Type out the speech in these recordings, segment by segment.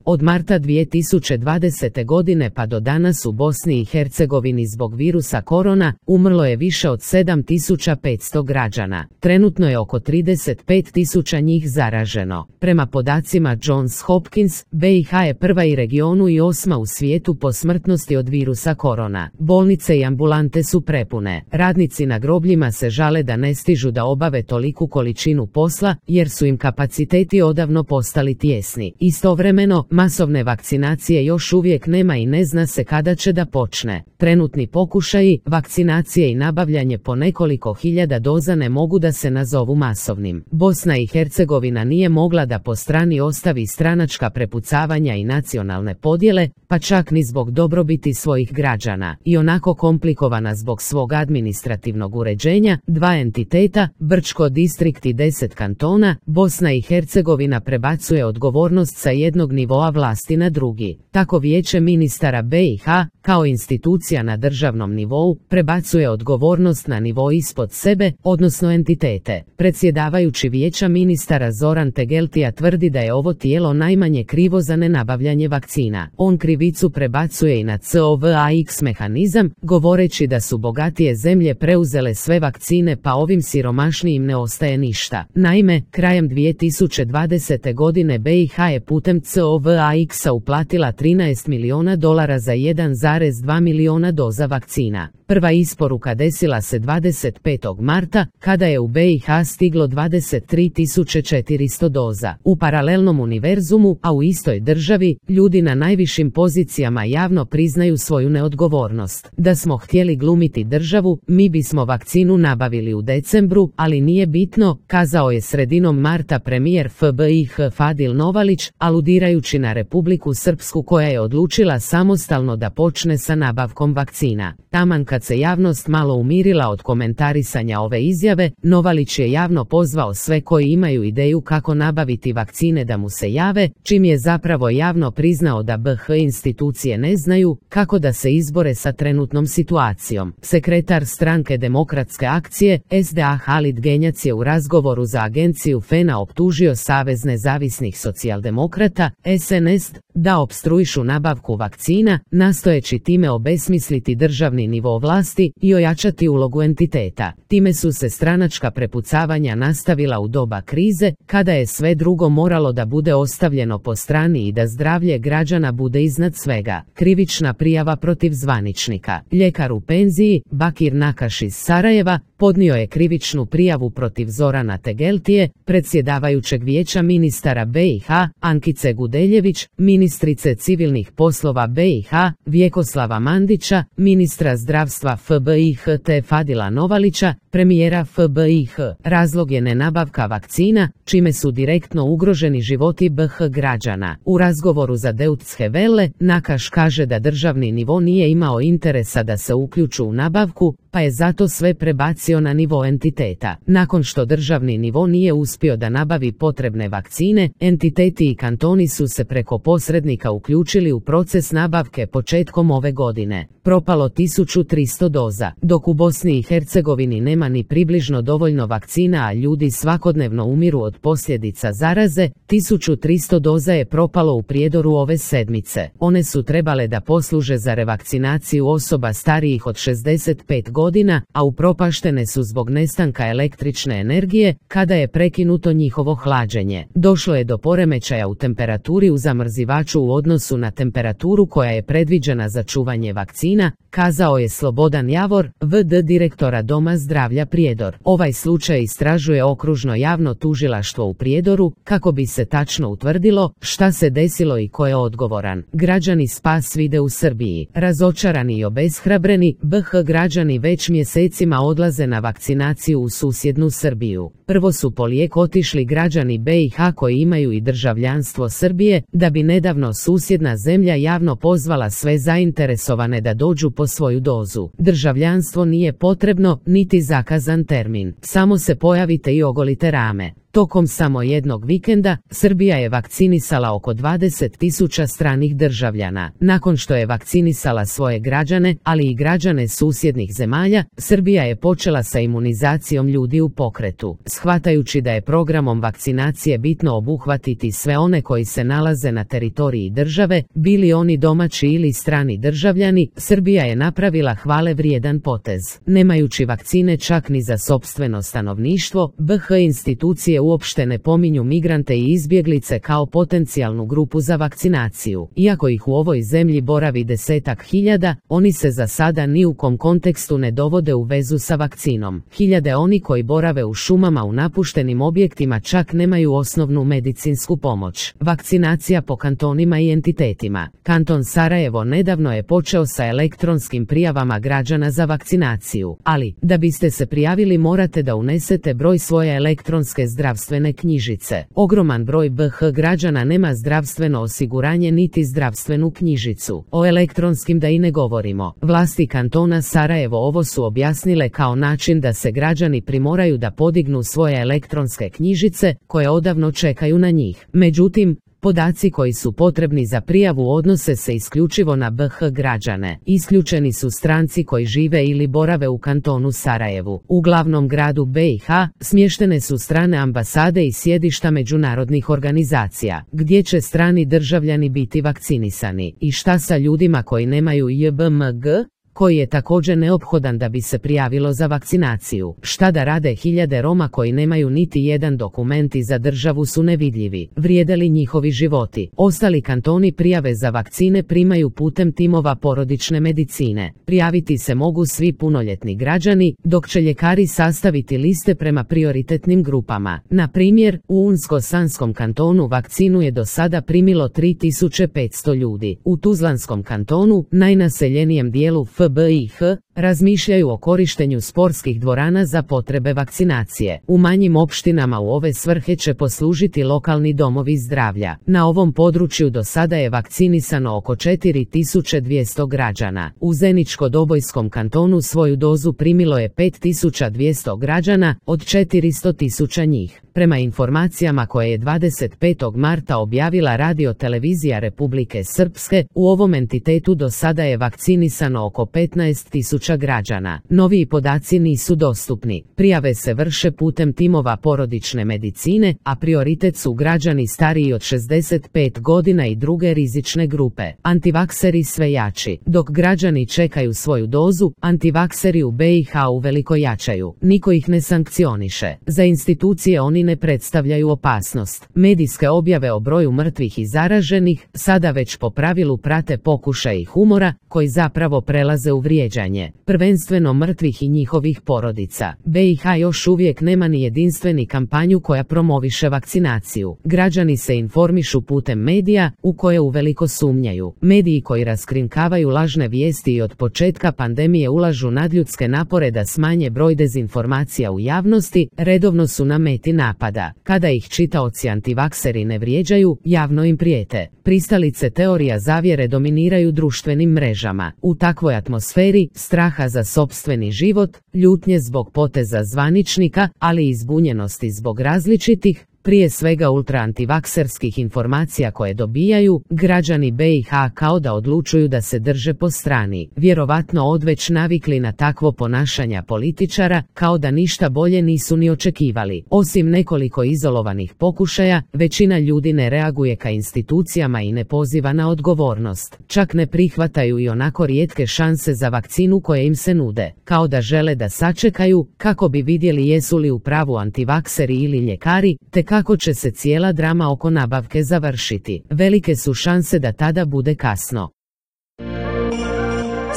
Od marta 2020. godine pa do danas u Bosni i Hercegovini zbog virusa korona umrlo je više od 7500 građana. Trenutno je oko 35.000 njih zaraženo. Prema podacima Johns Hopkins, BiH je prva i regionu i 8. u svijetu po smrtnosti od virusa korona. Bolnice i ambulante su prepune. Radnici na grobljima se žale da ne stižu da obave toliku količinu posla jer su im kapaciteti odavno postali tijesni. Istovremeno, masovne vakcinacije još uvijek nema i ne zna se kada će da počne. Trenutni pokušaji vakcinacije i nabavljanje po nekoliko hiljada doza ne mogu da se nazovu masovnim. Bosna i Hercegovina nije mogla da po strani ostavi stranačka prepucavanja i nacionalne podjele, pa čak ni zbog dobrobiti svojih građana. I onako komplikovana zbog svog administrativnog uređenja, 2 entiteta, Brčko distrikt i 10 kantona, Bosna i Hercegovina prebacuje odgovornost sa jednog nivoa vlasti na drugi. Tako Vijeće ministara BiH, kao institucija na državnom nivou, prebacuje odgovornost na nivo ispod sebe, odnosno entitete. Predsjedavajući Vijeća ministara Zoran Tegeltija tvrdi da je ovo tijelo najmanje krivo za nenabavljanje vakcina. On krivicu prebacuje i na COVAX mehanizam, govoreći da su bogatije zemlje preuzele sve vakcine pa ovim siromašnijim ne ostaje ništa. Naime, krajem 2020. godine BiH je putem COVAX-a uplatila $13 milijuna za 1,2 milijuna doza vakcina. Prva isporuka desila se 25. marta, kada je u BiH stiglo 23.400 doza. U paralelnom univerzumu, a u istoj državi, ljudi na najvišim pozicijama javno priznaju svoju neodgovornost. Da smo htjeli glumiti državu, mi bismo vakcinu nabavili u decembru, ali nije bitno, kazao je sredinom marta premijer FBiH Fadil Novalić, aludirajući na Republiku Srpsku koja je odlučila samostalno da počne sa nabavkom vakcina. Taman kad se javnost malo umirila od komentarisanja ove izjave, Novalić je javno pozvao sve koji imaju ideju kako nabaviti vakcine da mu se jave, čim je zapravo javno priznao da BiH institucije ne znaju kako da se izbore sa trenutnom situacijom. Sekretar stranke Demokratske akcije, SDA Halid Genjac je u razgovoru za agenciju FENA optužio Savez nezavisnih socijaldemokrata, SNS, da opstruišu nabavku vakcina, nastojeći time obesmisliti državni nivo vlasti i ojačati ulogu entiteta. Time su se stranačka prepucavanja nastavila u doba krize, kada je sve drugo moralo da bude ostavljeno po strani i da zdravlje građana bude iznad svega. Krivična prijava protiv zvaničnika. Ljekar u penziji, Bakir Nakaš iz Sarajeva, podnio je krivičnu prijavu protiv Zorana Tegeltije, predsjedavajućeg Vijeća ministara BiH, Ankice Gudeljević, ministrice civilnih poslova BiH, Vjekoslava Mandića, ministra zdravstva FBiH te Fadila Novalića, premijera FBiH. Razlog je nenabavka vakcina, čime su direktno ugroženi životi BiH građana. U razgovoru za Deutsche Welle, Nakaš kaže da državni nivo nije imao interesa da se uključu u nabavku, pa je zato sve prebacio na nivo entiteta. Nakon što državni nivo nije uspio da nabavi potrebne vakcine, entiteti i kantoni su se preko posrednika uključili u proces nabavke početkom ove godine. Propalo 1300 doza. Dok u Bosni i Hercegovini nema ni približno dovoljno vakcina, a ljudi svakodnevno umiru od posljedica zaraze, 1300 doza je propalo u Prijedoru ove sedmice. One su trebale da posluže za revakcinaciju osoba starijih od 65 godina, a upropaštene su zbog nestanka električne energije, kada je prekinuto njihovo hlađenje. Došlo je do poremećaja u temperaturi u zamrzivaču u odnosu na temperaturu koja je predviđena za čuvanje vakcina, kazao je Slobodan Javor, VD direktora Doma zdravlja Prijedor. Ovaj slučaj istražuje okružno javno tužilaštvo u Prijedoru, kako bi se tačno utvrdilo šta se desilo i ko je odgovoran. Građani spas vide u Srbiji. Razočarani i obeshrabreni, BiH građani već mjesecima odlaze na vakcinaciju u susjednu Srbiju. Prvo su po lijek otišli građani BiH koji imaju i državljanstvo Srbije, da bi nedavno susjedna zemlja javno pozvala sve zainteresovane da dođu po svoju dozu. Državljanstvo nije potrebno, niti zakazan termin. Samo se pojavite i ogolite rame. Tokom samo jednog vikenda, Srbija je vakcinisala oko 20.000 stranih državljana. Nakon što je vakcinisala svoje građane, ali i građane susjednih zemalja, Srbija je počela sa imunizacijom ljudi u pokretu. Shvatajući da je programom vakcinacije bitno obuhvatiti sve one koji se nalaze na teritoriji države, bili oni domaći ili strani državljani, Srbija je napravila hvale vrijedan potez. Nemajući vakcine čak ni za sopstveno stanovništvo, BiH institucije uopšte ne pominju migrante i izbjeglice kao potencijalnu grupu za vakcinaciju. Iako ih u ovoj zemlji boravi 10.000, oni se za sada ni u kom kontekstu ne dovode u vezu sa vakcinom. Hiljade oni koji borave u šumama u napuštenim objektima čak nemaju osnovnu medicinsku pomoć. Vakcinacija po kantonima i entitetima. Kanton Sarajevo nedavno je počeo sa elektronskim prijavama građana za vakcinaciju, ali, da biste se prijavili morate da unesete broj svoje elektronske zdravstvene knjižice. Ogroman broj BiH građana nema zdravstveno osiguranje niti zdravstvenu knjižicu. O elektronskim da i ne govorimo. Vlasti kantona Sarajevo ovo su objasnile kao način da se građani primoraju da podignu svoje elektronske knjižice, koje odavno čekaju na njih. Međutim, podaci koji su potrebni za prijavu odnose se isključivo na BiH građane. Isključeni su stranci koji žive ili borave u kantonu Sarajevu. U glavnom gradu BiH smještene su strane ambasade i sjedišta međunarodnih organizacija, gdje će strani državljani biti vakcinisani. I šta sa ljudima koji nemaju JBMG? Koji je također neophodan da bi se prijavilo za vakcinaciju. Šta da rade hiljade Roma koji nemaju niti jedan dokument i za državu su nevidljivi? Vrijede li njihovi životi? Ostali kantoni prijave za vakcine primaju putem timova porodične medicine. Prijaviti se mogu svi punoljetni građani, dok će ljekari sastaviti liste prema prioritetnim grupama. Na primjer, u Unsko-Sanskom kantonu vakcinu je do sada primilo 3500 ljudi. U Tuzlanskom kantonu, najnaseljenijem dijelu BiH, razmišljaju o korištenju sportskih dvorana za potrebe vakcinacije. U manjim opštinama u ove svrhe će poslužiti lokalni domovi zdravlja. Na ovom području do sada je vakcinisano oko 4200 građana. U Zeničko-Dobojskom kantonu svoju dozu primilo je 5200 građana, od 400.000 njih. Prema informacijama koje je 25. marta objavila Radio-televizija Republike Srpske, u ovom entitetu do sada je vakcinisano oko 15.000 građana. Noviji podaci nisu dostupni. Prijave se vrše putem timova porodične medicine, a prioritet su građani stariji od 65 godina i druge rizične grupe. Antivakseri sve jači. Dok građani čekaju svoju dozu, antivakseri u BiH uveliko jačaju. Niko ih ne sankcioniše. Za institucije oni ne predstavljaju opasnost. Medijske objave o broju mrtvih i zaraženih sada već po pravilu prate pokušaji humora, koji zapravo prelaze u vrijeđanje. Prvenstveno mrtvih i njihovih porodica. BiH još uvijek nema ni jedinstveni kampanju koja promoviše vakcinaciju. Građani se informišu putem medija, u koje uveliko sumnjaju. Mediji koji raskrinkavaju lažne vijesti i od početka pandemije ulažu nadljudske napore da smanje broj dezinformacija u javnosti, redovno su na meti napada. Kada ih čitaoci antivakseri ne vrijeđaju, javno im prijete. Pristalice teorija zavjere dominiraju društvenim mrežama. U takvoj atmosferi, straha za sopstveni život, ljutnje zbog poteza zvaničnika, ali i zbunjenosti zbog različitih, prije svega ultraantivakserskih informacija koje dobijaju, građani BiH kao da odlučuju da se drže po strani, vjerovatno odveć navikli na takvo ponašanja političara, kao da ništa bolje nisu ni očekivali. Osim nekoliko izolovanih pokušaja, većina ljudi ne reaguje ka institucijama i ne poziva na odgovornost. Čak ne prihvataju i onako rijetke šanse za vakcinu koje im se nude, kao da žele da sačekaju, kako bi vidjeli jesu li u pravu antivakseri ili ljekari, te kako će se cijela drama oko nabavke završiti. Velike su šanse da tada bude kasno.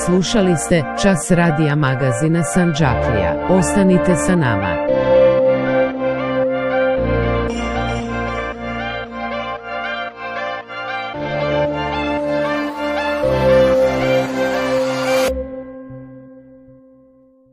Slušali ste Čas radija magazina Sandžaklija. Ostanite sa nama.